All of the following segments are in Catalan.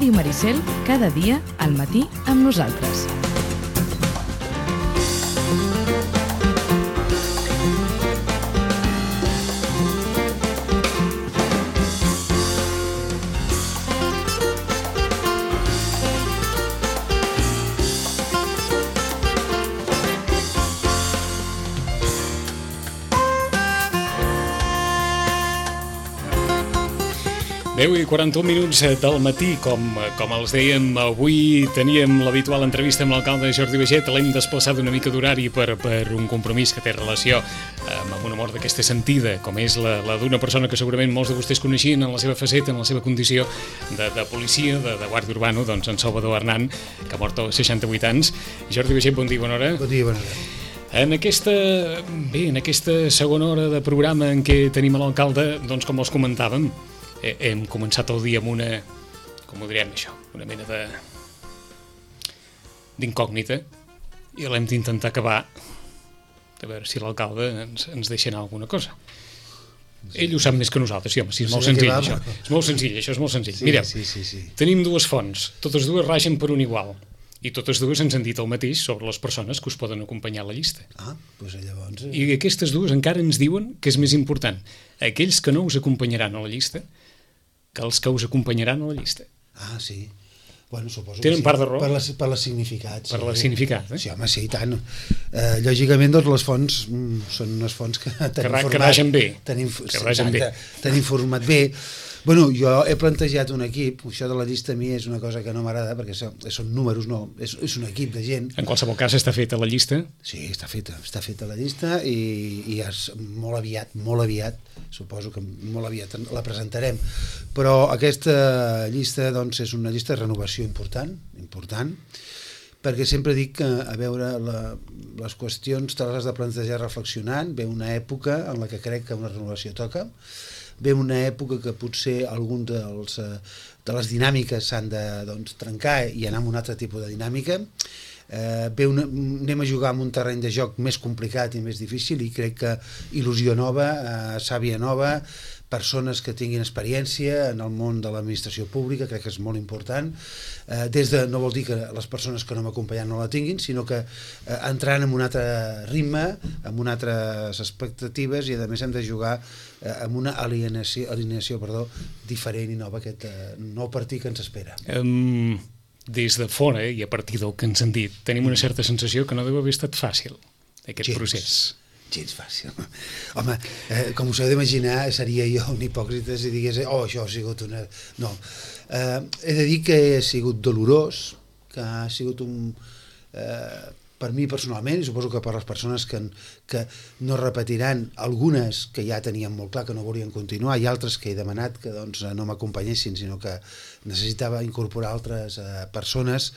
Ràdio Maricel, cada dia al matí amb nosaltres. I 41 minuts del matí, com els dèiem, avui teníem l'habitual entrevista amb l'alcalde Jordi Baiget. L'hem desplaçat una mica d'horari per un compromís que té relació amb una mort d'aquesta sentida, com és la d'una persona que segurament molts de vostès coneixien en la seva faceta, en la seva condició de policia, de guàrdia urbano, doncs en Salvador Arnán, que ha mort als 68 anys. Jordi Baiget, bon dia, bona hora. Bon dia, bona hora. En aquesta segona hora de programa en què tenim a l'alcalde, doncs com els comentàvem, hem començat el dia amb una, com ho direm això, una mena d'incògnita, i l'hem d'intentar acabar a veure si l'alcalde ens deixa anar alguna cosa. Ell ho sap més que nosaltres, sí, home, sí, és molt senzill això. És molt senzill, això és molt senzill. Mireu, tenim dues fonts, totes dues ragen per un igual, i totes dues ens han dit el mateix sobre les persones que us poden acompanyar a la llista. Doncs llavors... I aquestes dues encara ens diuen que és més important aquells que no us acompanyaran a la llista que els que us acompanyaran a la llista. Sí. Bueno, suposo tenen que sí. Part de raó. Per la significat. Per la significat, Sí, home, sí, i tant. Lògicament, doncs, les fonts són unes fonts que ragen bé. T'han informat bé. Bueno, jo he plantejat un equip, això de la llista a mi és una cosa que no m'agrada, perquè són números, no, és un equip de gent. En qualsevol cas està feta la llista? Sí, està feta la llista i molt aviat, suposo que molt aviat la presentarem, però aquesta llista doncs, és una llista de renovació important, perquè sempre dic que, a veure, les qüestions te les has de plantejar reflexionant, ve una època en la que crec que una renovació toca, ve una època que potser algun de les dinàmiques s'han de trencar i anar amb un altre tipus de dinàmica. Anem a jugar en un terreny de joc més complicat i més difícil i crec que il·lusió nova, sàvia nova, persones que tinguin experiència en el món de l'administració pública, crec que és molt important. No vol dir que les persones que no m'acompanyen no la tinguin, sinó que entrant en un altre ritme, amb unes altres expectatives i a més hem de jugar amb una alineació diferent i nova, aquest nou partit que ens espera. Des de fora i a partir del que ens han dit, tenim una certa sensació que no deu haver estat fàcil aquest procés. Gens fàcil. Home, com us heu d'imaginar, seria jo un hipòcrita si digués això ha sigut una... No. He de dir que ha sigut dolorós, que ha sigut per mi personalment, i suposo que per les persones que no repetiran, algunes que ja tenien molt clar que no volien continuar, i altres que he demanat que no m'acompanyessin, sinó que necessitava incorporar altres persones,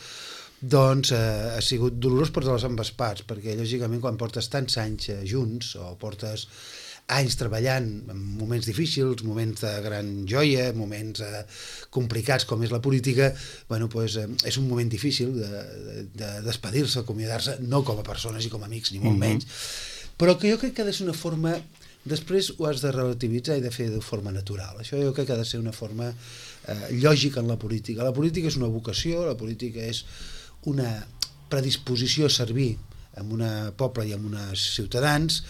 ha sigut dolorós per totes ambes parts, perquè lògicament quan portes tants anys junts o portes anys treballant en moments difícils, moments de gran joia, moments complicats com és la política, és un moment difícil de despedir-se, acomiadar-se, no com a persones i com a amics, ni molt menys, però que jo crec que ha de ser una forma, després ho has de relativitzar i de fer de forma natural. Això jo crec que ha de ser una forma lògica en la política. La política és una vocació, la política és una predisposició a servir amb un poble i amb uns ciutadans,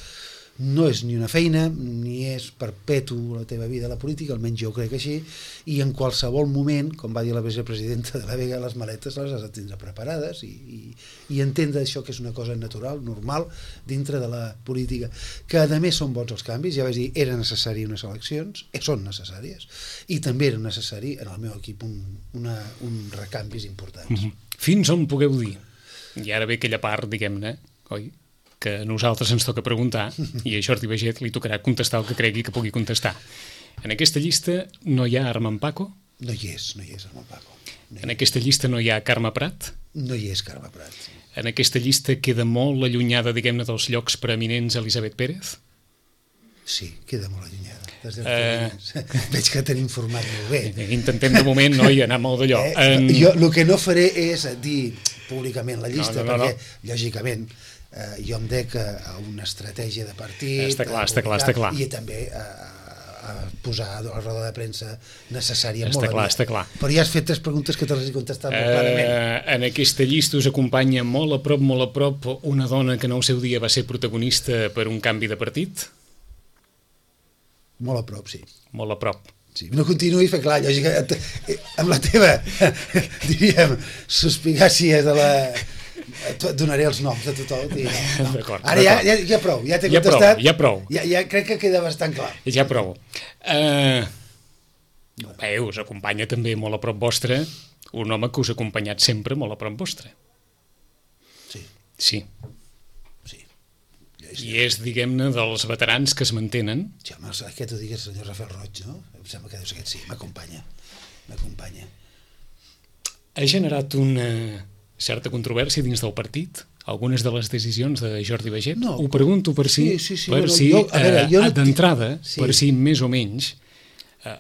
no és ni una feina, ni és perpetu la teva vida a la política, almenys jo crec així, i en qualsevol moment, com va dir la vicepresidenta de la Vega, les maletes les has de tindre preparades i entendre això que és una cosa natural, normal, dintre de la política, que a més són bons els canvis, ja vaig dir, era necessari unes eleccions, són necessàries, i també era necessari en el meu equip un recanvis importants. Fins on pugueu dir? I ara ve aquella part, diguem-ne, oi? Que a nosaltres ens toca preguntar i a Jordi Baiget li tocarà contestar el que cregui que pugui contestar. En aquesta llista no hi ha Armand Paco? No hi és Armand Paco. En aquesta llista no hi ha Carme Prat? No hi és Carme Prat. En aquesta llista queda molt allunyada, diguem-ne, dels llocs preeminents Elisabet Pérez? Sí, queda molt allunyada. Veig que t'han informat molt bé. Intentem de moment no anar molt d'allò. Jo el que no faré és dir públicament la llista, perquè lògicament jo em dec a una estratègia de partit. Està clar. I també posar la roda de premsa necessària. Està clar. Però ja has fet 3 preguntes que te les he contestat molt clarament. En aquesta llista us acompanya molt a prop, una dona que en el seu dia va ser protagonista per un canvi de partit? Molt a prop, sí. Molt a prop. Sí, no continuïs, perquè clar, lògica, amb la teva, diríem, suspicàcia de la... Et donaré els noms de tothom. No. D'acord. Ara ja prou, ja t'he contestat. Ja prou. Ja crec que queda bastant clar. Ja prou. Us acompanya també molt a prop vostre un home que us ha acompanyat sempre molt a prop vostre. Sí. Sí. I és, diguem-ne, dels veterans que es mantenen. Sí, home, aquest ho digues, senyor Rafael Roig, no? Em sembla que deu ser aquest, sí, m'acompanya. Ha generat una certa controvèrsia dins del partit? Algunes de les decisions de Jordi Baiget? No. Ho pregunto per si, d'entrada, per si més o menys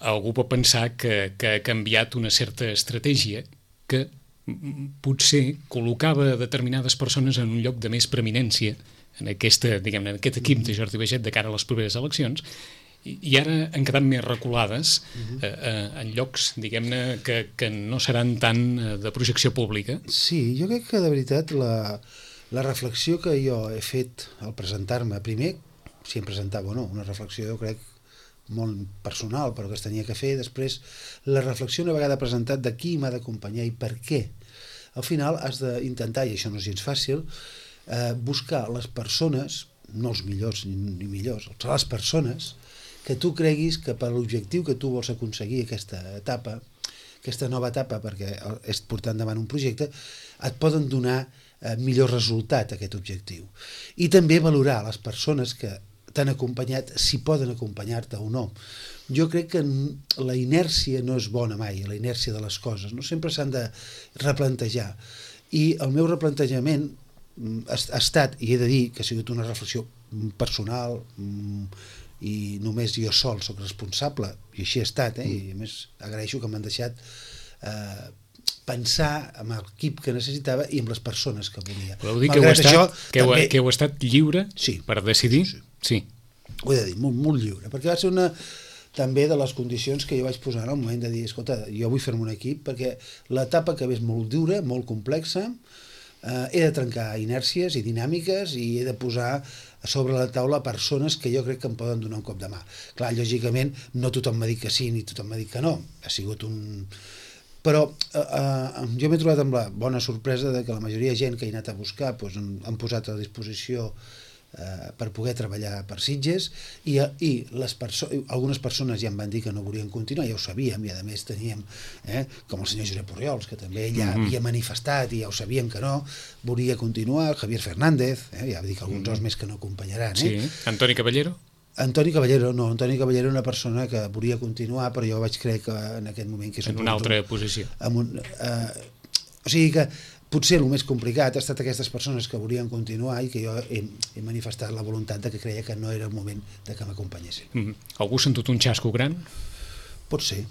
algú pot pensar que ha canviat una certa estratègia que potser col·locava determinades persones en un lloc de més preeminència en aquest equip de Jordi Baiget de cara a les properes eleccions, i ara han quedat més reculades en llocs, diguem-ne, que no seran tant de projecció pública. Sí, jo crec que de veritat la reflexió que jo he fet al presentar-me, primer, si em presentava o no, una reflexió jo crec molt personal, però que es tenia que fer, després la reflexió una vegada presentat de qui m'ha d'acompanyar i per què. Al final has d'intentar, i això no és gens fàcil, buscar les persones, no els millors ni millors, les persones que tu creguis que per l'objectiu que tu vols aconseguir aquesta nova etapa, perquè és portar endavant un projecte, et poden donar millor resultat a aquest objectiu. I també valorar les persones que t'han acompanyat, si poden acompanyar-te o no. Jo crec que la inèrcia no és bona mai, la inèrcia de les coses, no? Sempre s'han de replantejar. I el meu replantejament ha estat, i he de dir que ha sigut una reflexió personal i només jo sol soc responsable, i així ha estat, i a més agraeixo que m'han deixat pensar amb l'equip que necessitava i amb les persones que volia. Podeu dir que heu estat lliure per decidir? Sí. Ho he de dir, molt, molt lliure, perquè va ser una també de les condicions que jo vaig posar en el moment de dir, escolta, jo vull fer-me un equip perquè l'etapa que ve és molt dura, molt complexa, he de trencar inèrcies i dinàmiques i he de posar a sobre la taula persones que jo crec que em poden donar un cop de mà. Clar, lògicament, no tothom m'ha dit que sí ni tothom m'ha dit que no. Ha sigut un... Però jo m'he trobat amb la bona sorpresa de que la majoria de gent que he anat a buscar han posat a disposició per poder treballar per Sitges i algunes persones ja em van dir que no volien continuar, ja ho sabíem, i a més teníem com el senyor Josep Orriols, que també ja havia manifestat i ja ho sabíem que no volia continuar, Javier Fernández, ja va dir que alguns més que no acompanyaran. Sí. Antoni Caballero? Antoni Caballero era una persona que volia continuar, però jo vaig creure que en aquest moment que és en una altra posició. O sigui que potser el més complicat ha estat aquestes persones que volien continuar i que jo he manifestat la voluntat de que creia que no era el moment de que m'acompanyessin. Algú ha sentut un xasco gran? Pot ser,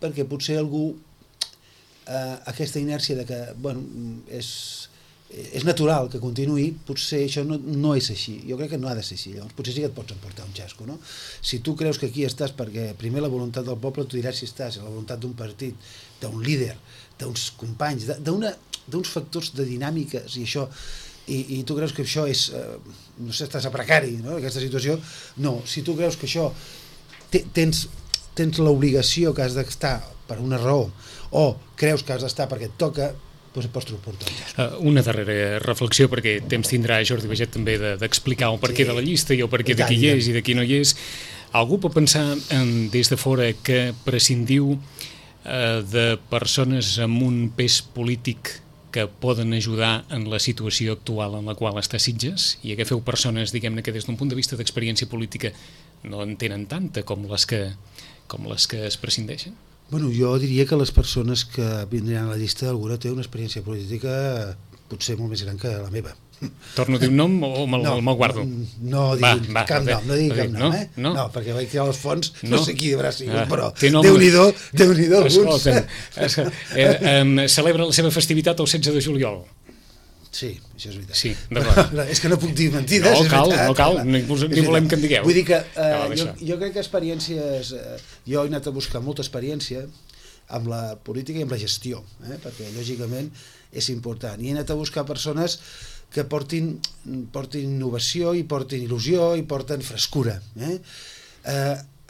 perquè potser algú aquesta inèrcia de que, bueno, és natural que continuï, potser això no és així. Jo crec que no ha de ser així. Llavors, potser sí que et pots emportar un xasco, no? Si tu creus que aquí estàs perquè primer la voluntat del poble, tu diràs si estàs a la voluntat d'un partit, d'un líder, d'uns companys, d'uns factors de dinàmiques i això, i tu creus que això és, no sé, estàs a precari, no?, aquesta situació, no. Si tu creus que això tens l'obligació que has d'estar per una raó, o creus que has d'estar perquè et toca, doncs et pots trobar. Una darrera reflexió, perquè temps tindrà Jordi Baiget també d'explicar el perquè de la llista i el perquè de qui hi és i de qui no hi és. Algú pot pensar des de fora que prescindiu de persones amb un pes polític que poden ajudar en la situació actual en la qual està Sitges, i agafeu persones, diguem-ne, que des d'un punt de vista d'experiència política no en tenen tanta com les que es prescindeixen? Bueno, jo diria que les persones que vindran a la llista, alguna té una experiència política potser molt més gran que la meva. Torno a dir un nom o me'l guardo? No digui cap nom, No, perquè vaig tirar les fonts, no sé qui haurà sigut, però Déu-n'hi-do alguns. Celebra la seva festivitat el 16 de juliol. Sí, això és veritat. Sí, d'acord. És que no puc dir mentides, No, és cal, veritat. no cal, ni volem que en digueu. Vull dir que deixa. jo crec que experiències... Jo he anat a buscar molta experiència amb la política i amb la gestió, perquè lògicament és important. I he anat a buscar persones que portin innovació i portin il·lusió i porten frescura.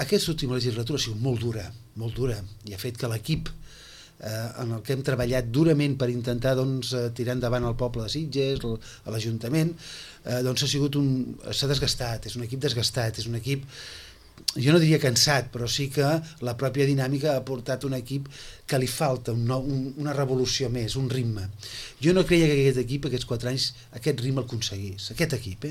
Aquesta última legislatura ha sigut molt dura, i ha fet que l'equip en el que hem treballat durament per intentar tirar endavant el poble de Sitges, a l'Ajuntament, s'ha desgastat, és un equip desgastat, és un equip, jo no diria cansat, però sí que la pròpia dinàmica ha portat un equip que li falta una revolució més, un ritme. Jo no creia que aquest equip, aquests 4 anys, aquest ritme el aconseguís, aquest equip.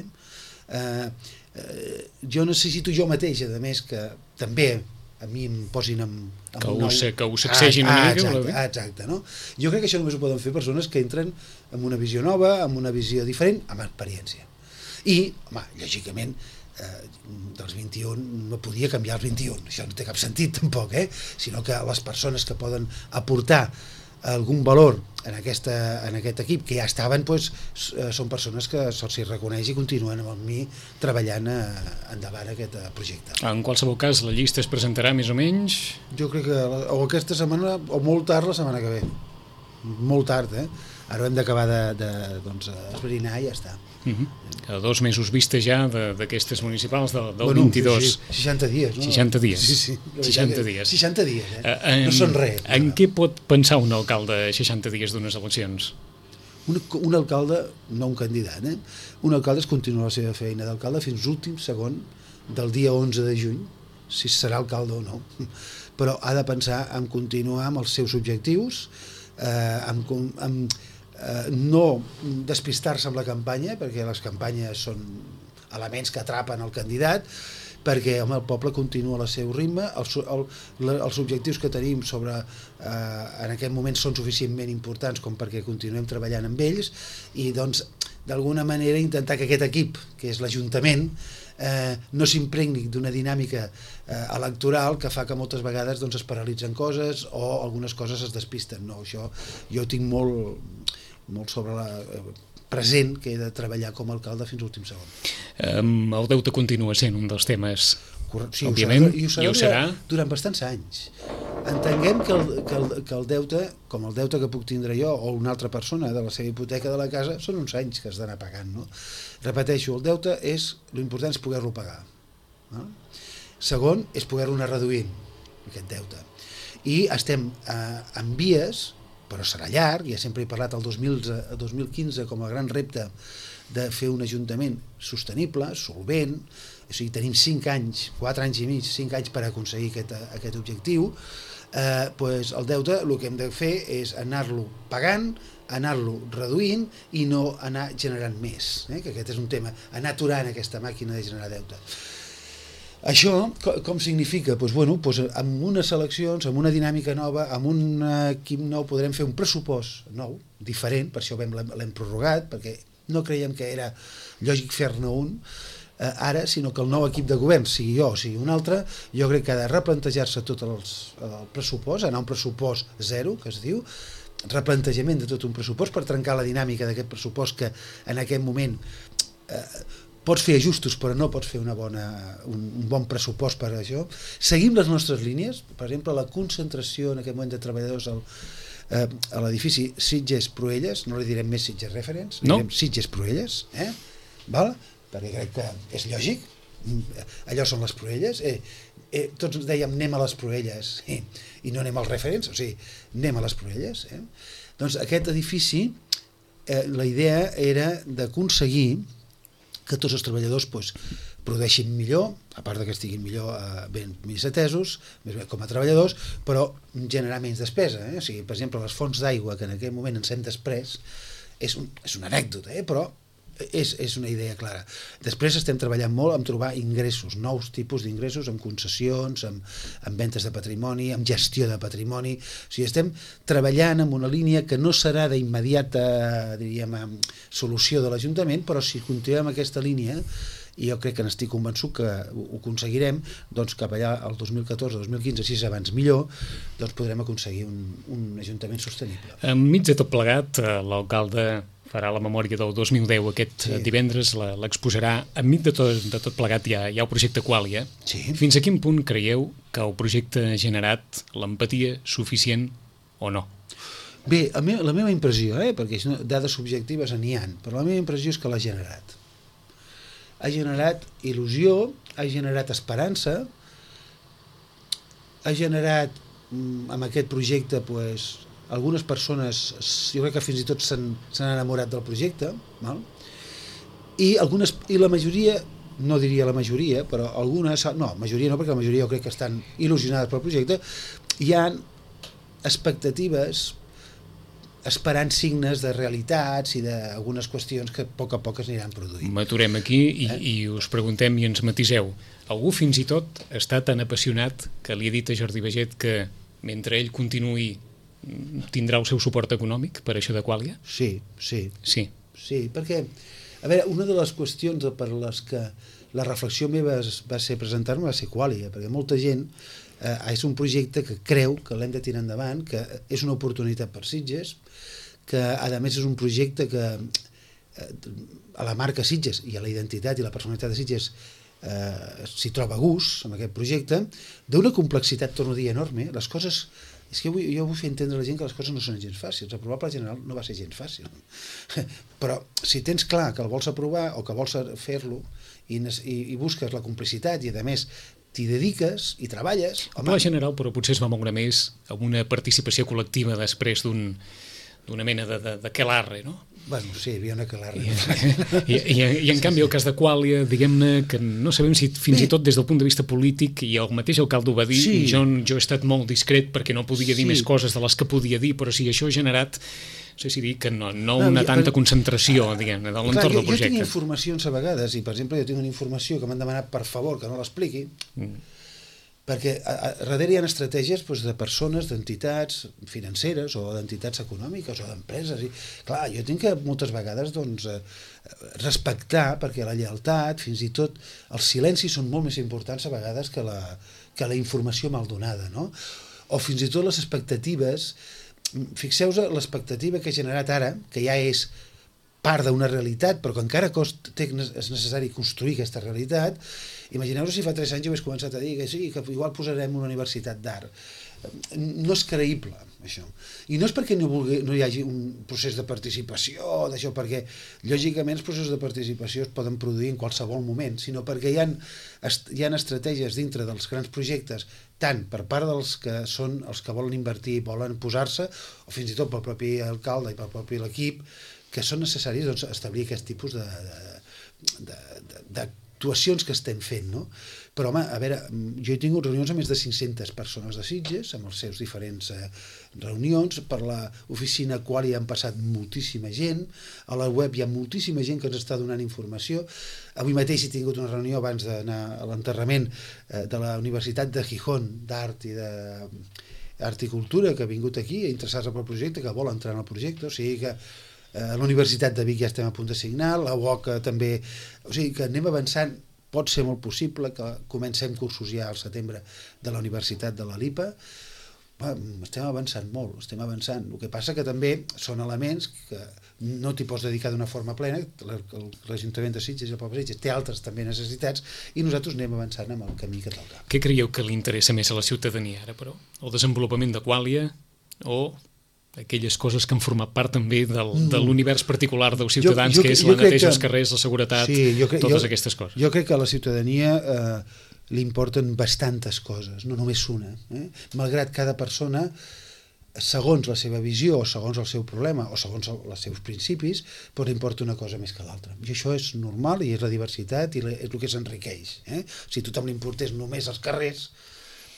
Jo necessito jo mateix, a més, que també a mi em posin que ho sacsegin una mica. Exacte, no? Jo crec que això només ho poden fer persones que entren amb una visió nova, amb una visió diferent, amb experiència. I, home, lògicament, dels 21 no podia canviar els 21, això no té cap sentit tampoc, sinó que les persones que poden aportar algun valor en aquest equip que ja estaven, són persones que se'ls reconeix i continuen amb mi treballant endavant aquest projecte. En qualsevol cas, la llista es presentarà més o menys? Jo crec que o aquesta setmana o molt tard la setmana que ve, molt tard, ara hem d'acabar d'esbrinar i ja està. A 2 mesos vista ja d'aquestes municipals del 22. 60 dies, no? 60 dies. Sí. 60 dies. 60 dies, no són res. En què pot pensar un alcalde 60 dies d'unes eleccions? Un alcalde, no un candidat, un alcalde es continua la seva feina d'alcalde fins l'últim segon del dia 11 de juny, si serà alcalde o no. Però ha de pensar en continuar amb els seus objectius, no despistar-se amb la campanya, perquè les campanyes són elements que atrapen el candidat, perquè el poble continua al seu ritme, els objectius que tenim en aquest moment són suficientment importants com perquè continuem treballant amb ells i d'alguna manera intentar que aquest equip, que és l'Ajuntament, no s'impregni d'una dinàmica electoral que fa que moltes vegades es paralitzen coses o algunes coses es despisten. No, això jo tinc molt sobre present que he de treballar com a alcalde fins l'últim segon. El deute continua sent un dels temes, sí, òbviament, i ho serà durant bastants anys. Entenguem que el deute, com el deute que puc tindre jo o una altra persona de la seva hipoteca de la casa, són uns anys que has d'anar pagant, no? Repeteixo, el deute l'important és poder-lo pagar. Segon, és poder-lo anar reduint, aquest deute. I estem en vies, però serà llarg, ja sempre he parlat el 2015 com a gran repte de fer un ajuntament sostenible, solvent, o sigui, tenim 5 anys, 4 anys i mig, 5 anys per aconseguir aquest objectiu, el deute el que hem de fer és anar-lo pagant, anar-lo reduint i no anar generant més, que aquest és un tema, anar aturant aquesta màquina de generar deute. Això com significa? Amb unes eleccions, amb una dinàmica nova, amb un equip nou podrem fer un pressupost nou, diferent, per això l'hem prorrogat, perquè no creiem que era lògic fer-ne un ara, sinó que el nou equip de govern, sigui jo o sigui un altre, jo crec que ha de replantejar-se tot el pressupost, anar a un pressupost zero, que es diu, replantejament de tot un pressupost per trencar la dinàmica d'aquest pressupost que en aquest moment pots fer ajustos però no pots fer un bon pressupost per a això. Seguim les nostres línies, per exemple la concentració en aquest moment de treballadors a l'edifici Sitges-Proelles, no li direm més Sitges Reference, li direm Sitges-Proelles, perquè crec que és lògic, allò són les Proelles, tots dèiem anem a les Proelles i no anem als Reference, o sigui, anem a les Proelles. Doncs aquest edifici, la idea era d'aconseguir que tots els treballadors produeixin millor, a part que estiguin millor ben més atesos, més bé com a treballadors, però generar menys despesa. O sigui, per exemple, les fonts d'aigua que en aquell moment ens hem després és una anècdota, però és una idea clara. Després estem treballant molt en trobar ingressos, nous tipus d'ingressos, amb concessions, amb ventes de patrimoni, amb gestió de patrimoni. O sigui, estem treballant en una línia que no serà d'immediata, diríem, solució de l'Ajuntament, però si continuem aquesta línia, i jo crec que n'estic convençut que ho aconseguirem, doncs cap allà el 2014-2015, si és abans millor, doncs podrem aconseguir un ajuntament sostenible. Enmig de tot plegat, l'alcalde farà la memòria del 2010 aquest divendres, l'exposarà enmig de tot plegat hi ha el projecte Qualia. Sí. Fins a quin punt creieu que el projecte ha generat l'empatia suficient o no? Bé, la meva impressió, perquè dades subjectives n'hi ha, però la meva impressió és que l'ha generat. Ha generat il·lusió, ha generat esperança, ha generat amb aquest projecte algunes persones, jo crec que fins i tot s'han enamorat del projecte, val? I la majoria, no diria la majoria, però algunes, no, majoria no, perquè la majoria jo crec que estan il·lusionades pel projecte, hi ha expectatives esperant signes de realitats i d'algunes qüestions que a poc es aniran produint. M'aturem aquí i us preguntem i ens matiseu. Algú fins i tot està tan apassionat que li ha dit a Jordi Baget que mentre ell continuï tindrà el seu suport econòmic per això de Qualia? Sí, perquè, a veure, una de les qüestions per les que la reflexió meva va ser presentar-me va ser Qualia, perquè molta gent és un projecte que creu que l'hem de tirar endavant, que és una oportunitat per Sitges, que a més és un projecte que a la marca Sitges i a la identitat i la personalitat de Sitges s'hi troba a gust amb aquest projecte, d'una complexitat, torno a dir, enorme. Les coses, és que jo vull fer entendre a la gent que les coses no són gens fàcils. Aprovar el Pla General no va ser gens fàcil, però si tens clar que el vols aprovar o que vols fer-lo i busques la complicitat i a més t'hi dediques i treballes... El Pla General, però potser es va moure més amb una participació col·lectiva després d'una mena d'aquelarre, no? Bueno, sí, hi havia una aquelarre. I en canvi el cas de Qualia, diguem-ne que no sabem si fins i tot des del punt de vista polític, i el mateix alcalde ho va dir, jo he estat molt discret perquè no podia dir més coses de les que podia dir, però sí, això ha generat, no sé si dir que no una tanta concentració, diguem-ne, de l'entorn del projecte. Jo tinc informacions a vegades, i per exemple jo tinc una informació que m'han demanat per favor que no l'expliqui, perquè darrere hi ha estratègies de persones, d'entitats financeres o d'entitats econòmiques o d'empreses. Clar, jo tinc que moltes vegades respectar, perquè la lleialtat, fins i tot els silencis són molt més importants a vegades que la informació mal donada, no? O fins i tot les expectatives. Fixeu-vos l'expectativa que ha generat ara, que ja és part d'una realitat, però que encara és necessari construir aquesta realitat. Imagineu-vos si fa 3 anys jo hagués començat a dir que sí, que igual posarem una universitat d'art. No és creïble, això. I no és perquè no hi hagi un procés de participació, d'això, perquè lògicament els processos de participació es poden produir en qualsevol moment, sinó perquè hi ha estratègies dintre dels grans projectes, tant per part dels que són els que volen invertir i volen posar-se, o fins i tot pel propi alcalde i pel propi l'equip, que són necessaris establir aquest tipus d'actuacions que estem fent, no? Però, home, a veure, jo he tingut reunions amb més de 500 persones de Sitges, amb els seus diferents reunions, per l'oficina Qualia han passat moltíssima gent, a la web hi ha moltíssima gent que ens està donant informació. Avui mateix he tingut una reunió abans d'anar a l'enterrament de la Universitat de Gijón d'Art i d'Art i Cultura, que ha vingut aquí, interessats en el projecte, que vol entrar en el projecte, o sigui que a la Universitat de Vic ja estem a punt de signar, la UOC també, o sigui que anem avançant. Pot ser molt possible que comencem cursos ja al setembre de la Universitat de la LIPA. Estem avançant molt, estem avançant. El que passa que també són elements que no t'hi pots dedicar d'una forma plena, l'Ajuntament de Sitges i el poble de Sitges té altres també necessitats i nosaltres anem avançant amb el camí que toca. Què creieu que li interessa més a la ciutadania ara, però? El desenvolupament de Qualia o aquelles coses que han format part també de l'univers particular dels ciutadans, que és la neteja dels carrers, la seguretat, totes aquestes coses? Jo crec que a la ciutadania li importen bastantes coses, no només una. Malgrat cada persona, segons la seva visió, o segons el seu problema, o segons els seus principis, li importa una cosa més que l'altra. I això és normal, i és la diversitat, i és el que s'enriqueix. Si tothom li importés només els carrers,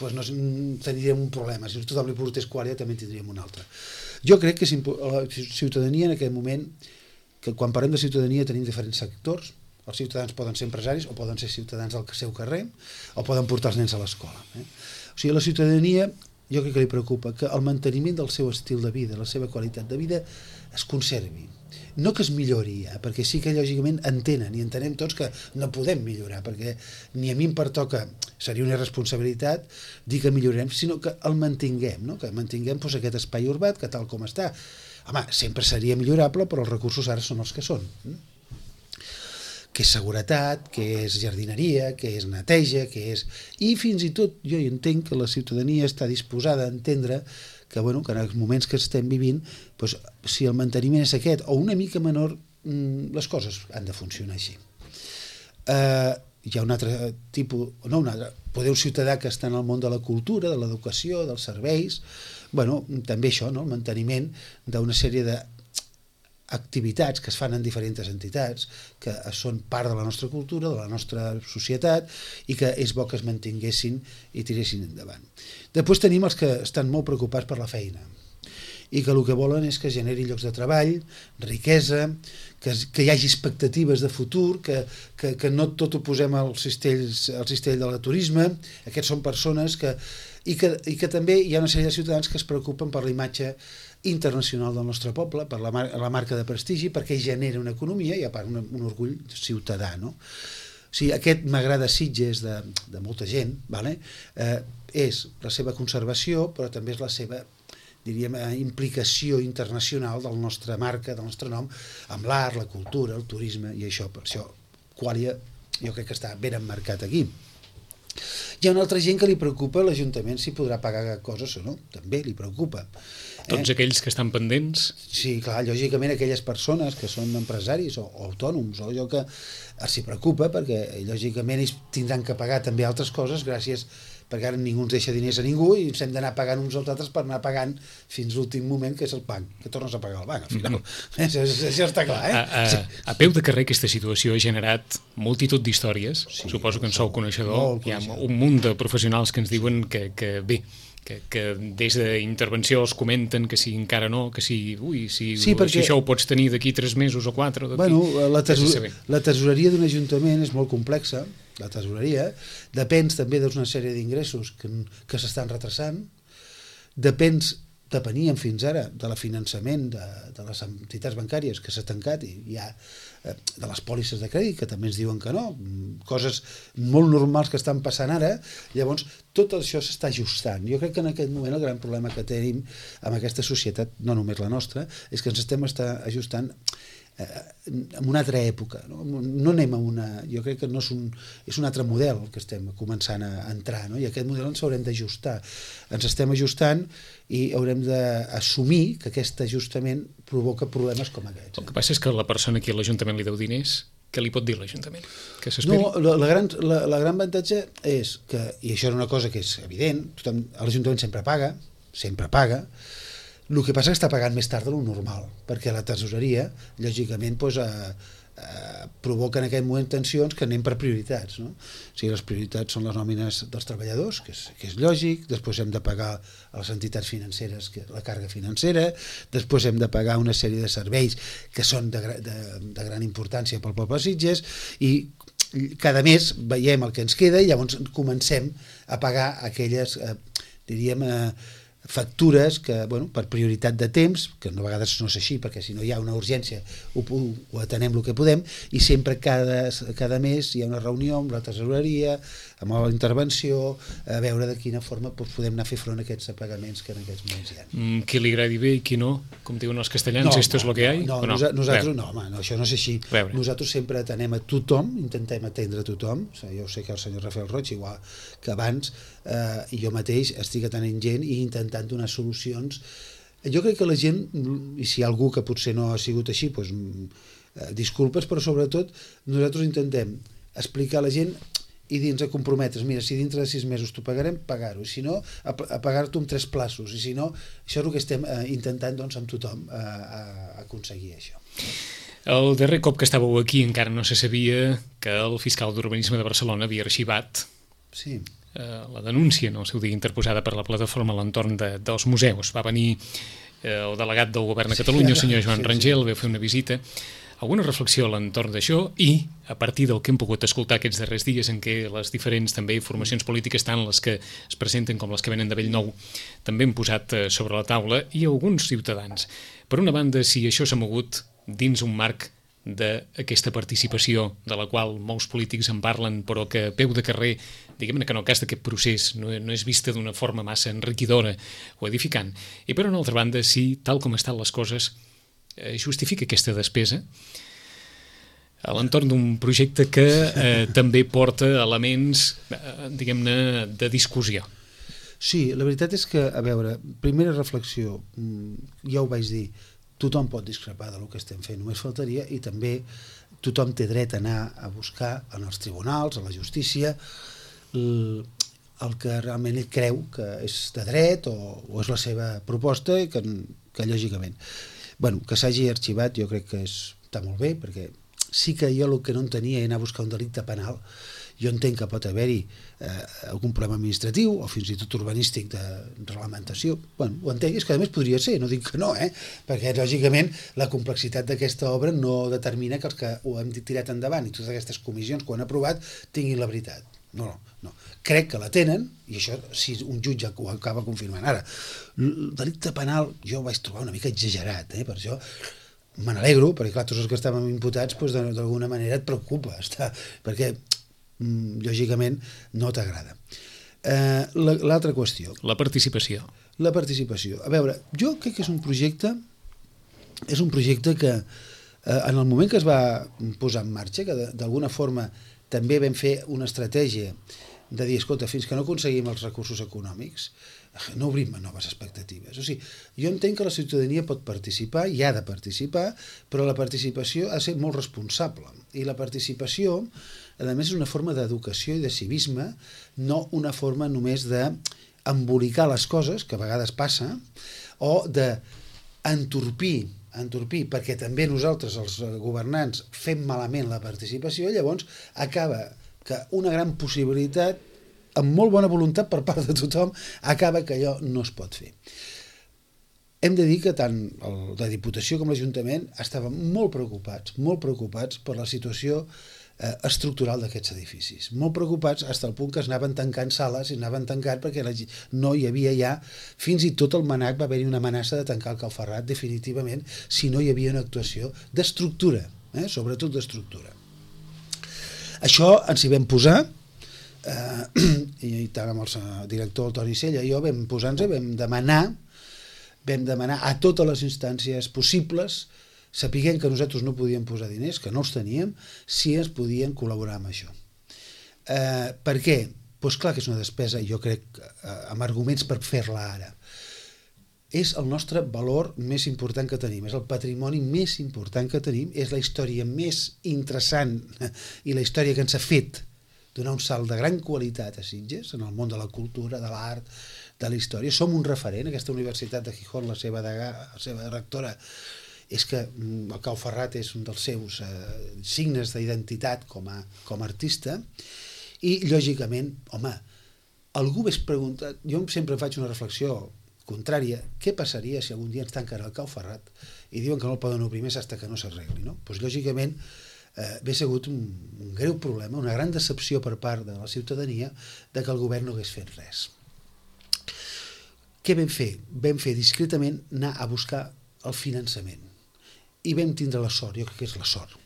doncs no tindríem un problema. Si tothom li portés Qualia també en tindríem un altre. Jo crec que la ciutadania en aquest moment, que quan parlem de ciutadania tenim diferents sectors, els ciutadans poden ser empresaris o poden ser ciutadans del seu carrer o poden portar els nens a l'escola. O sigui, la ciutadania jo crec que li preocupa que el manteniment del seu estil de vida, la seva qualitat de vida es conservi. No que es millori, perquè sí que lògicament entenen i entenem tots que no podem millorar, perquè ni a mi em pertoca, seria una irresponsabilitat dir que millorarem, sinó que el mantinguem, no? Que mantinguem aquest espai urbà que tal com està, Home, sempre seria millorable, però els recursos ara són els que són. Que és seguretat, que és jardineria, que és neteja, que és... I fins i tot jo entenc que la ciutadania està disposada a entendre que, bueno, que en els moments que estem vivint, doncs, si el manteniment és aquest o una mica menor, les coses han de funcionar així. Hi ha un altre tipus, no un altre, poder un ciutadà que està en el món de la cultura, de l'educació, dels serveis, bueno, també això, no? El manteniment d'una sèrie d'activitats que es fan en diferents entitats, que són part de la nostra cultura, de la nostra societat, i que és bo que es mantinguessin i tiressin endavant. Després tenim els que estan molt preocupats per la feina, i que el que volen és que generi llocs de treball, riquesa, que hi hagi expectatives de futur, que no tot ho posem al cistell de la turisme. Aquests són persones i que també hi ha una sèrie de ciutadans que es preocupen per la imatge internacional del nostre poble, per la marca de prestigi, perquè genera una economia i a part un orgull ciutadà, no? O sigui, aquest m'agrada Sitges de molta gent, vale? És la seva conservació, però també és la seva, diríem, implicació internacional de la nostra marca, del nostre nom, amb l'art, la cultura, el turisme, i això, per això Qualia jo crec que està ben emmarcat aquí. Hi ha una altra gent que li preocupa l'Ajuntament si podrà pagar coses o no, també li preocupa. Tots aquells que estan pendents? Sí, clar, lògicament aquelles persones que són empresaris o autònoms o allò que els hi preocupa, perquè lògicament ells tindran que pagar també altres coses gràcies perquè ara ningú ens deixa diners a ningú i ens hem d'anar pagant uns als altres per anar pagant fins l'últim moment, que és el banc, que tornes a pagar el banc al final. Això està clar, A peu de carrer aquesta situació ha generat multitud d'històries, suposo que en sou coneixedor, hi ha un munt de professionals que ens diuen que bé, que des d'intervenció els comenten que si encara no, que si això ho pots tenir d'aquí 3 mesos o 4. Bueno, la tesoreria d'un ajuntament és molt complexa, la tesoreria, depèn també d'una sèrie d'ingressos que s'estan retrasant, depenien fins ara de la finançament de les entitats bancàries que s'ha tancat i hi ha de les pòlisses de crèdit que també ens diuen que no, coses molt normals que estan passant ara. Llavors tot això s'està ajustant. Jo crec que en aquest moment el gran problema que tenim amb aquesta societat, no només la nostra, és que ens estem ajustant en una altra època, no anem a una... Jo crec que no és un altre model que estem començant a entrar, no? I aquest model ens haurem d'ajustar. Ens estem ajustant i haurem d'assumir que aquest ajustament provoca problemes com aquests. El que passa és que la persona que a l'Ajuntament li deu diners, què li pot dir l'Ajuntament? Que s'esperi? No, la gran avantatge és que, i això és una cosa que és evident, l'Ajuntament sempre paga, el que passa és que està pagant més tard de lo normal, perquè la tesoreria, lògicament, provoca en aquest moment tensions que anem per prioritats, no? O sigui, les prioritats són les nòmines dels treballadors, que és lògic, després hem de pagar a les entitats financeres la càrrega financera, després hem de pagar una sèrie de serveis que són de gran importància pel poble de Sitges, i cada mes veiem el que ens queda i llavors comencem a pagar aquelles, diríem, factures que, bueno, per prioritat de temps, que a vegades no és així, perquè si no hi ha una urgència ho atenem el que podem, i sempre cada mes hi ha una reunió amb la tesoreria, amb la intervenció, a veure de quina forma podem anar a fer front a aquests pagaments que en aquests moments hi ha. Qui li agradi bé i qui no, com diuen els castellans, esto es lo que hay? Nosaltres no, home, això no és així. Nosaltres sempre atenem a tothom, intentem atendre a tothom. Jo sé que el senyor Rafael Roig, igual que abans, i jo mateix estic atenent gent i intentant donar solucions. Jo crec que la gent, i si hi ha algú que potser no ha sigut així, doncs disculpes, però sobretot nosaltres intentem explicar a la gent i dins a comprometre's, mira, si dintre de 6 mesos t'ho pagarem, pagar-ho, i si no, a pagar-t'ho en 3 plaços, i si no, això és el que estem intentant doncs, amb tothom aconseguir això. El darrer cop que estàveu aquí encara no se sabia que el fiscal d'Urbanisme de Barcelona havia arxivat la denúncia en el seu dia interposada per la plataforma a l'entorn dels museus. Va venir el delegat del govern de Catalunya, el senyor Joan Rangel, va fer una visita. Alguna reflexió a l'entorn d'això i a partir del que hem pogut escoltar aquests darrers dies en què les diferents també formacions polítiques, tant les que es presenten com les que venen de Bellnou, també han posat sobre la taula, i alguns ciutadans. Per una banda, si això s'ha mogut dins un marc d'aquesta participació de la qual molts polítics en parlen, però que a peu de carrer, diguem-ne que en el cas d'aquest procés no és vista d'una forma massa enriquidora o edificant. I per una altra banda, si, tal com estan les coses, justifica aquesta despesa a l'entorn d'un projecte que també porta elements, diguem-ne, de discussió. Sí, la veritat és que, a veure, primera reflexió, ja ho vaig dir, tothom pot discrepar del que estem fent, només faltaria, i també tothom té dret a anar a buscar en els tribunals, a la justícia, el que realment ell creu que és de dret o és la seva proposta i que lògicament. Bueno, que s'hagi arxivat jo crec que està molt bé, perquè sí que jo el que no entenia era anar a buscar un delicte penal. Jo entenc que pot haver-hi algun problema administratiu o fins i tot urbanístic de reglamentació. Bueno, ho entenc, és que a més podria ser, no dic que no, perquè lògicament la complexitat d'aquesta obra no determina que els que ho hem tirat endavant i totes aquestes comissions que ho han aprovat tinguin la veritat. No. Crec que la tenen, i això si un jutge ho acaba confirmant. Ara, el delicte penal jo ho vaig trobar una mica exagerat, per això me n'alegro, perquè clar, tots els que estàvem imputats d'alguna manera et preocupa, perquè lògicament no t'agrada. L'altra qüestió. La participació. La participació. A veure, jo crec que és un projecte que en el moment que es va posar en marxa, que d'alguna forma també vam fer una estratègia de dir, escolta, fins que no aconseguim els recursos econòmics, no obrim noves expectatives. O sigui, jo entenc que la ciutadania pot participar i ha de participar, però la participació ha de ser molt responsable. I la participació, a més, és una forma d'educació i de civisme, no una forma només d'embolicar les coses, que a vegades passa, o d'entorpir, perquè també nosaltres, els governants, fem malament la participació, llavors acaba que una gran possibilitat, amb molt bona voluntat per part de tothom, acaba que allò no es pot fer. Hem de dir que tant la Diputació com l'Ajuntament estaven molt preocupats per la situació estructural d'aquests edificis. Molt preocupats fins al punt que es anaven tancant sales i anaven tancant perquè no hi havia ja, fins i tot el MNAC va haver-hi una amenaça de tancar el Calferrat definitivament si no hi havia una actuació d'estructura, sobretot d'estructura. Això ens hi vam posar, i tant amb el director Toni Sella i jo vam posar-nos, vam demanar a totes les instàncies possibles, sapiguem que nosaltres no podíem posar diners, que no els teníem, si ens podien col·laborar amb això. Per què? Doncs clar que és una despesa, jo crec, amb arguments per fer-la ara. És el nostre valor més important que tenim, és el patrimoni més important que tenim, és la història més interessant i la història que ens ha fet donar un salt de gran qualitat a Sitges, en el món de la cultura, de l'art, de la història. Som un referent, aquesta Universitat de Gijón, la seva rectora, és que el Cau Ferrat és un dels seus signes d'identitat com a artista, i lògicament, home, algú m'és preguntat, jo sempre faig una reflexió contrària, què passaria si algun dia ens tanquen el Cau Ferrat i diuen que no el poden obrir més fins que no s'arregli, no? Doncs lògicament hauria sigut un greu problema, una gran decepció per part de la ciutadania de que el govern no hagués fet res. Què vam fer? Vam fer discretament anar a buscar el finançament i vam tindre la sort, jo crec que és la sort,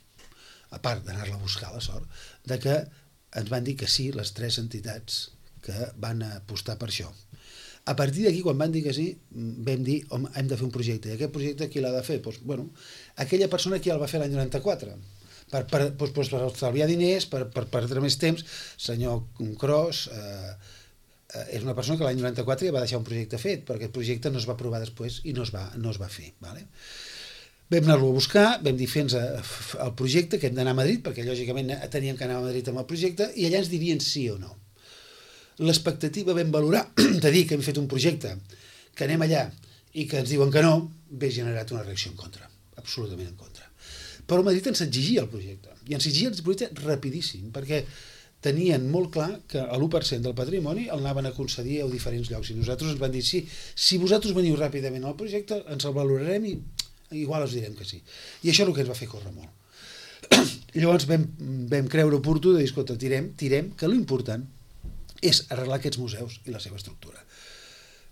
a part d'anar-la a buscar la sort, de que ens van dir que sí les 3 entitats que van apostar per això. A partir d'aquí, quan van dir que sí, vam dir, home, hem de fer un projecte. I aquest projecte qui l'ha de fer? Doncs, bueno, aquella persona que ja el va fer l'any 94, per estalviar diners, per perdre més temps. Senyor Cros és una persona que l'any 94 ja va deixar un projecte fet, però aquest projecte no es va aprovar després i no es va fer. Vale? Vam anar-lo a buscar, vam dir fent el projecte, que hem d'anar a Madrid, perquè lògicament teníem que anar a Madrid amb el projecte, i allà ens dirien sí o no. L'expectativa vam valorar de dir que hem fet un projecte, que anem allà i que ens diuen que no, ve generat una reacció en contra, absolutament en contra. Però a Madrid ens exigia el projecte, i ens exigia el projecte rapidíssim, perquè tenien molt clar que l'1% del patrimoni el anaven a concedir a diferents llocs, i nosaltres ens van dir sí, si vosaltres veniu ràpidament al projecte, ens el valorarem i igual us direm que sí. I això és el que ens va fer córrer molt. Llavors vam creure oportú de dir, escolta, tirem, que l'important és arreglar aquests museus i la seva estructura.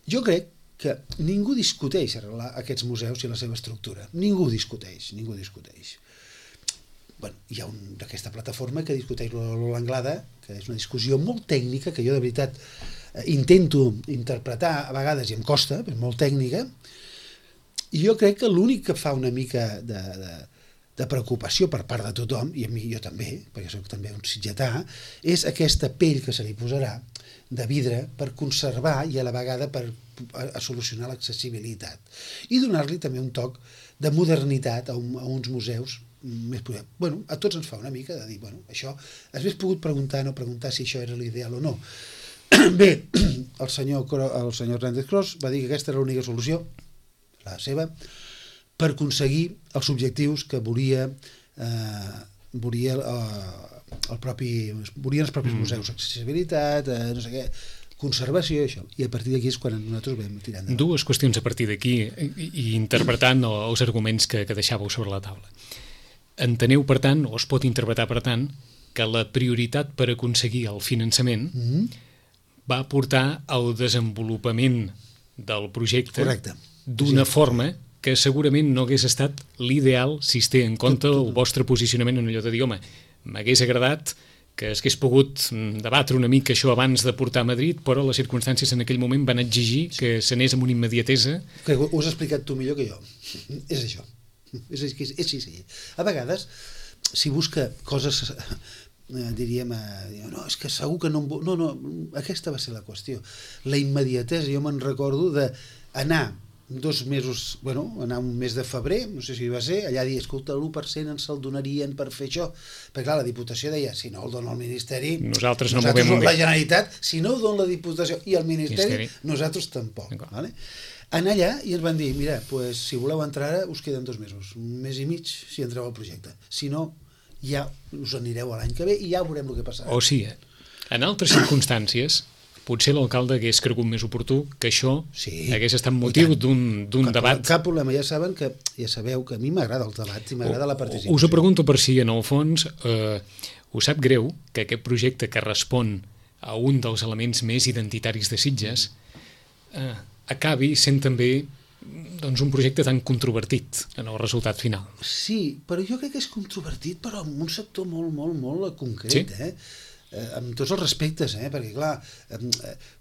Jo crec que ningú discuteix arreglar aquests museus i la seva estructura. Ningú discuteix. bueno, hi ha d'aquesta plataforma que discuteix l'Anglada, que és una discussió molt tècnica, que jo de veritat intento interpretar a vegades i em costa, és molt tècnica, i jo crec que l'únic que fa una mica de preocupació per part de tothom, i a mi jo també, perquè soc també un sitgetà, és aquesta pell que se li posarà de vidre per conservar i a la vegada per a solucionar l'accessibilitat i donar-li també un toc de modernitat a uns museus més poder. Bueno, a tots ens fa una mica de dir, bueno, això, hagués pogut preguntar si això era l'ideal o no. Bé, el senyor Hernández Cros va dir que aquesta era l'única solució, la seva, per aconseguir els objectius que volien els propis museus, accessibilitat, no sé què, conservació i això, i a partir d'aquí és quan nosaltres vam tirar endavant. Dues qüestions a partir d'aquí i interpretant els arguments que deixàveu sobre la taula. Enteneu, per tant, o es pot interpretar, per tant, que la prioritat per aconseguir el finançament va portar al desenvolupament del projecte d'una forma que segurament no hagués estat l'ideal si es té en compte el vostre posicionament en allò de dir, home, m'hagués agradat que s'hagués pogut debatre una mica això abans de portar a Madrid, però les circumstàncies en aquell moment van exigir que s'anés amb una immediatesa. Ho has explicat tu millor que jo. És això. És així. A vegades, si busca coses, diríem, no, és que segur que no... No, aquesta va ser la qüestió. La immediatesa, jo me'n recordo d'anar 2 mesos, anar un mes de febrer, no sé si va ser, allà dir, escolta, l'1% ens el donarien per fer això, perquè clar, la Diputació deia, si no el dona el Ministeri, nosaltres la Generalitat, si no ho dona la Diputació i el Ministeri, nosaltres tampoc. Vale? Anar allà i ens van dir, mira, pues, si voleu entrar ara, us queden 2 mesos, un mes i mig si entreu al projecte, si no, ja us anireu l'any que ve i ja veurem el que passarà. O sigui, en altres circumstàncies, potser l'alcalde hagués cregut més oportú que això hagués estat motiu d'un debat. Cap problema, ja sabeu que a mi m'agrada els debats i m'agrada la participació. Us ho pregunto per si, en el fons, us sap greu que aquest projecte que respon a un dels elements més identitaris de Sitges acabi sent també un projecte tan controvertit en el resultat final. Sí, però jo crec que és controvertit, però en un sector molt, molt, molt concret, amb tots els respectes, perquè clar,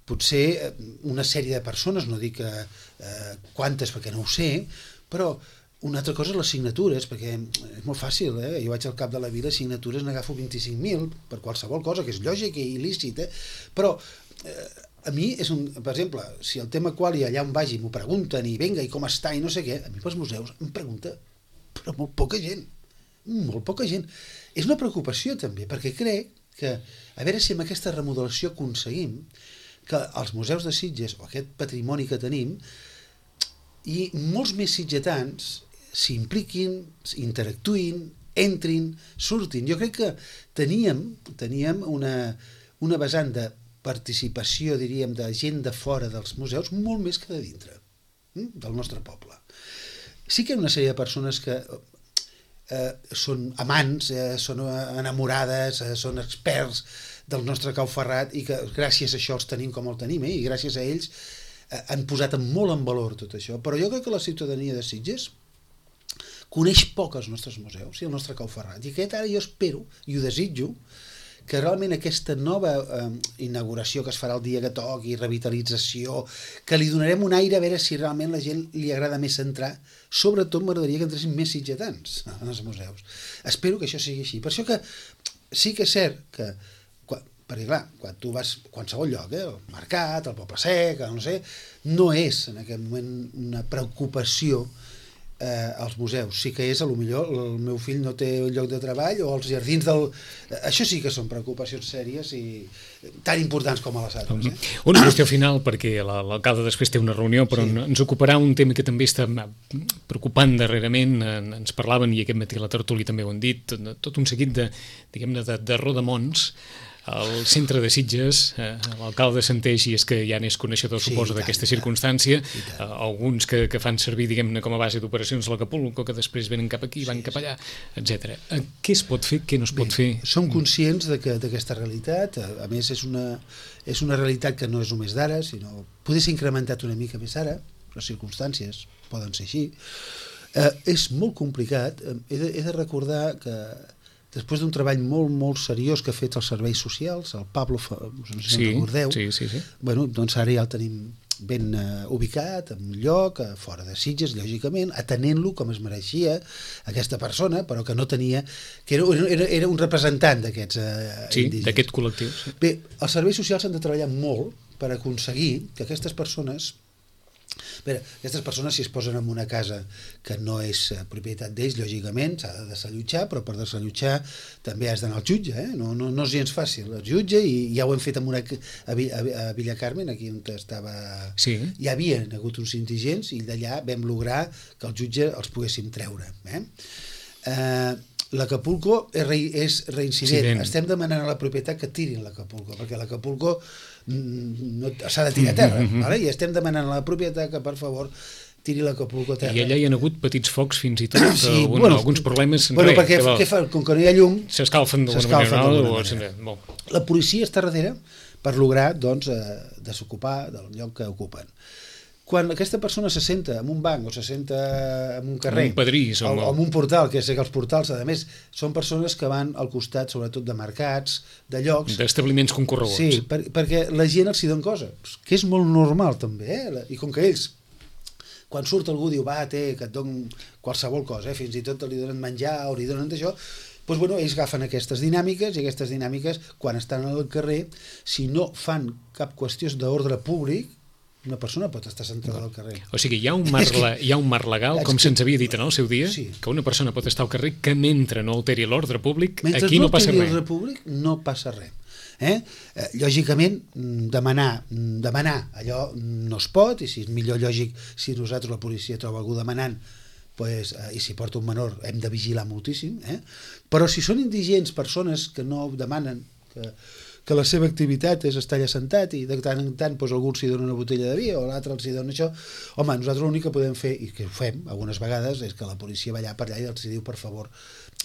potser una sèrie de persones, no dic quantes perquè no ho sé, però una altra cosa és les signatures, perquè és molt fàcil, jo vaig al cap de la vila, signatures n'agafo 25.000 per qualsevol cosa, que és lògic i il·lícit, però a mi és per exemple, si el tema quali allà on vagi m'ho pregunten i venga, i com està, i no sé què, a mi pels museus em pregunta, però molt poca gent. És una preocupació també, perquè crec que, a veure si amb aquesta remodelació aconseguim que els museus de Sitges, o aquest patrimoni que tenim, i molts més sitgetans s'impliquin, interactuïn, entrin, surtin. Jo crec que teníem una vessant de participació, diríem, de gent de fora dels museus molt més que de dintre del nostre poble. Sí que hi ha una sèrie de persones que són amants, són enamorades, són experts del nostre Cau Ferrat i que gràcies a això els tenim com el tenim, i gràcies a ells han posat molt en valor tot això. Però jo crec que la ciutadania de Sitges coneix poc els nostres museus i el nostre Cau Ferrat. I aquest ara jo espero, i ho desitjo, que realment aquesta nova inauguració que es farà el dia que toqui, revitalització, que li donarem un aire a veure si realment la gent li agrada més entrar, sobretot m'agradaria que entressin més sitgetans en els museus. Espero que això sigui així. Per això que sí que és cert que, perquè clar, quan tu vas a qualsevol lloc, el mercat, el Poble Sec, no sé, no és en aquest moment una preocupació als museus. Sí que és, potser el meu fill no té un lloc de treball o els jardins del... Això sí que són preocupacions sèries i tan importants com a les altres. Una qüestió final, perquè l'alcalde després té una reunió, però ens ocuparà un tema que també està preocupant darrerament. Ens parlaven, i aquest matí a la tertúlia també ho han dit, tot un seguit de rodamons. Al centre de Sitges, l'alcalde assenteix, i és que ja n'és coneixedor, suposo, d'aquesta circumstància, alguns que fan servir, diguem-ne, com a base d'operacions l'Acapulco, que després venen cap aquí, van cap allà, etc. Què es pot fer, què no es pot fer? Som conscients d'aquesta realitat, a més és una realitat que no és només d'ara, sinó poder ser incrementat una mica més ara, les circumstàncies poden ser així. És molt complicat, he de recordar que després d'un treball molt, molt seriós que ha fet els serveis socials, el Pablo, no sé si en recordeu, bueno, doncs ara ja el tenim ben ubicat, en un lloc, fora de Sitges, lògicament, atenent-lo com es mereixia aquesta persona, però que no tenia... que era un representant d'aquests indígenes. D'aquest col·lectiu. Sí. Bé, els serveis socials han de treballar molt per aconseguir que aquestes persones... Aquestes persones, si es posen en una casa que no és propietat d'ells, lògicament s'ha de desallotjar, però per desallotjar també has d'anar al jutge, no és gens fàcil, el jutge, i ja ho hem fet a Villa Carmen, aquí on estava... Sí. Hi havia hagut uns indigents i d'allà vam lograr que el jutge els poguéssim treure. L'Acapulco és reincident. Estem demanant a la propietat que tirin l'Acapulco, perquè l'Acapulco s'ha de tirar a terra, i estem demanant a la propietat que, per favor, tiri l'Acapulco a terra. I allà hi ha hagut petits focs fins i tot, alguns problemes... Perquè com que no hi ha llum... S'escalfen d'alguna manera. La policia està darrere per lograr desocupar del lloc que ocupen. Quan aquesta persona se senta en un banc o se senta en un carrer o en un portal, que sé que els portals, a més, són persones que van al costat, sobretot de mercats, de llocs... D'establiments concorreguts. Sí, perquè la gent els hi dona coses, que és molt normal també, i com que ells, quan surt algú diu, que et donen qualsevol cosa, fins i tot li donen menjar o li donen d'això, doncs, ells agafen aquestes dinàmiques, i aquestes dinàmiques, quan estan al carrer, si no fan cap qüestió d'ordre públic, una persona pot estar sentada al carrer. O sigui, hi ha un marc legal, com se'ns havia dit en el seu dia, que una persona pot estar al carrer que mentre no alteri l'ordre públic, aquí no passa res. Mentre no alteri l'ordre públic, no passa res. Lògicament, demanar allò no es pot, i si és millor lògic, si nosaltres, la policia, troba algú demanant, i si porta un menor, hem de vigilar moltíssim, però si són indigents, persones que no demanen, que la seva activitat és estar allà sentat i de tant en tant algú s'hi dona una botella de vi o l'altre els hi dona això, home, nosaltres l'únic que podem fer, i que ho fem algunes vegades, és que la policia va allà per allà i els diu, per favor,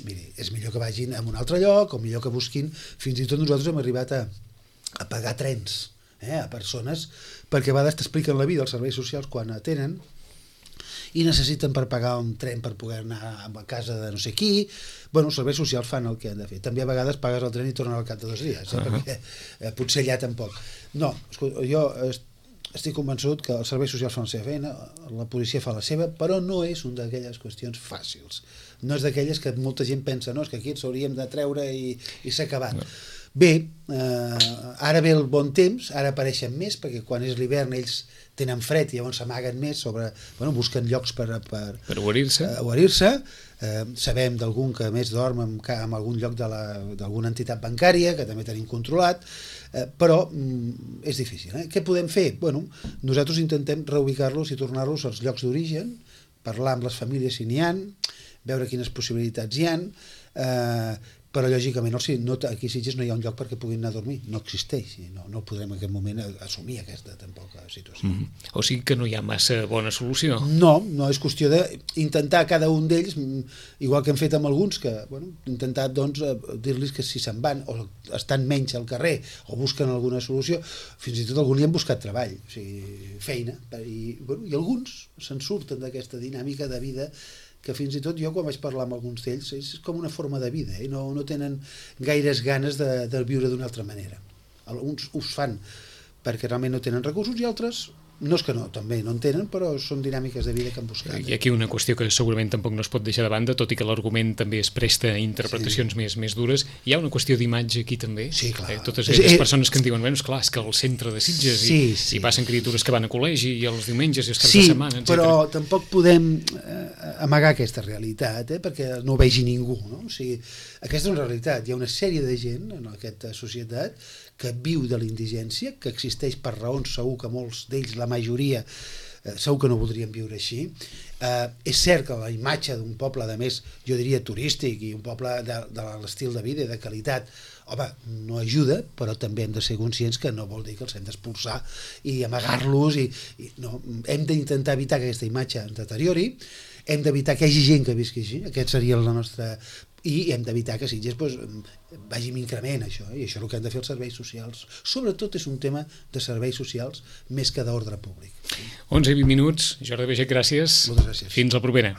miri, és millor que vagin a un altre lloc o millor que busquin. Fins i tot nosaltres hem arribat a pagar trens a persones, perquè a vegades t'expliquen la vida els serveis socials quan atenen i necessiten per pagar un tren per poder anar a casa de no sé qui. Els serveis socials fan el que han de fer. També a vegades pagues el tren i tornes al cap de 2 dies, perquè potser allà tampoc. No, jo estic convençut que els serveis socials fan la seva feina, la policia fa la seva, però no és una d'aquelles qüestions fàcils. No és d'aquelles que molta gent pensa, no, és que aquí ens hauríem de treure i s'ha acabat. Bé, ara ve el bon temps, ara apareixen més, perquè quan és l'hivern ells tenen fred i llavors s'amaguen més, busquen llocs per guarir-se. Sabem d'algun que més dorm en algun lloc d'alguna entitat bancària, que també tenim controlat, però és difícil. Què podem fer? Nosaltres intentem reubicar-los i tornar-los als llocs d'origen, parlar amb les famílies si n'hi ha, veure quines possibilitats hi ha, però lògicament aquí a Sitges no hi ha un lloc perquè puguin anar a dormir, no existeix, no podrem en aquest moment assumir aquesta tampoc situació. O sigui que no hi ha massa bona solució. No és qüestió d'intentar cada un d'ells, igual que hem fet amb alguns, que intentar dir-los que si se'n van o estan menys al carrer o busquen alguna solució, fins i tot alguns li han buscat treball, o sigui, feina, i alguns se'n surten d'aquesta dinàmica de vida que fins i tot jo quan vaig parlar amb alguns d'ells és com una forma de vida, no tenen gaires ganes de viure d'una altra manera. Alguns ho fan perquè realment no tenen recursos i altres no és que no, també no en tenen, però són dinàmiques de vida que han buscat. I aquí una qüestió que segurament tampoc no es pot deixar de banda, tot i que l'argument també es presta a interpretacions més dures. Hi ha una qüestió d'imatge aquí també? Sí, clar. Totes aquelles persones que en diuen, és clar, és que al centre de Sitges hi passen criatures que van a col·legi i els diumenges i els caps de setmana, etc. Sí, però tampoc podem amagar aquesta realitat, perquè no ho vegi ningú, no? O sigui, aquesta és una realitat. Hi ha una sèrie de gent en aquesta societat que viu de la indigència, que existeix per raons, segur que molts d'ells, la majoria, segur que no voldrien viure així. És cert que la imatge d'un poble, a més, jo diria turístic, i un poble de l'estil de vida i de qualitat, home, no ajuda, però també hem de ser conscients que no vol dir que els hem d'expulsar i amagar-los, hem d'intentar evitar que aquesta imatge ens deteriori, hem d'evitar que hi hagi gent que visqui així, aquest seria la nostra... i hem d'evitar que Sitges vagi amb increment, això, i això és el que han de fer els serveis socials. Sobretot és un tema de serveis socials més que d'ordre públic. 11 i 20 minuts. Jordi Baiget, gràcies. Moltes gràcies. Fins la propera.